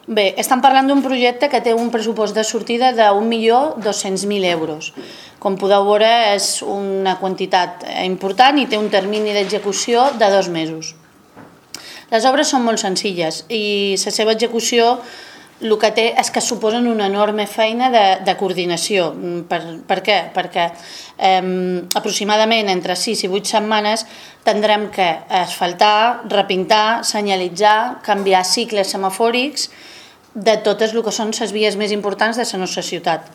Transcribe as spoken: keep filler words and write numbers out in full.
Bé, estem parlant d'un projecte que té un pressupost de sortida d'un milió dos-cents mil euros. Com podeu veure, és una quantitat important i té un termini d'execució de dos mesos. Les obres són molt senzilles i la seva execució el que té és que suposen una enorme feina de, de coordinació. Per, per què? Perquè eh, aproximadament entre sis i vuit setmanes tindrem que asfaltar, repintar, senyalitzar, canviar cicles semafòrics de totes el que són les vies més importants de la nostra ciutat.